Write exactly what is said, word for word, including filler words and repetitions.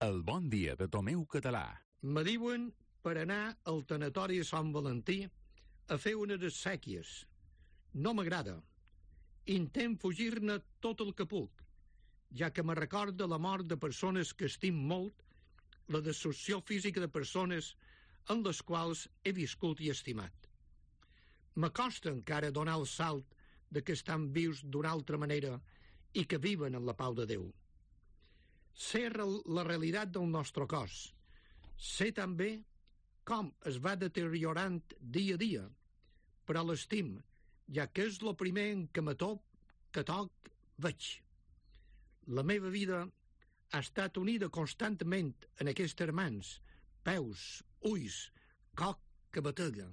El bon dia de Tomeu Català. Me diuen per anar al tanatori de Sant Valentí a fer unes exèquies. No m'agrada. Intent fugir-ne tot el que puc, ja que me recorda la mort de persones que estim molt, la destrucció física de persones en les quals he viscut i estimat. M'acosta encara donar el salt de que estan vius d'una altra manera i que viven en la pau de Déu. Sé la realitat del nostre cos. Sé també com es va deteriorant dia a dia, però l'estim, ja que és el primer en què me toc, que toc veig. La meva vida ha estat unida constantment en aquestes mans, peus, ulls, coc que batega.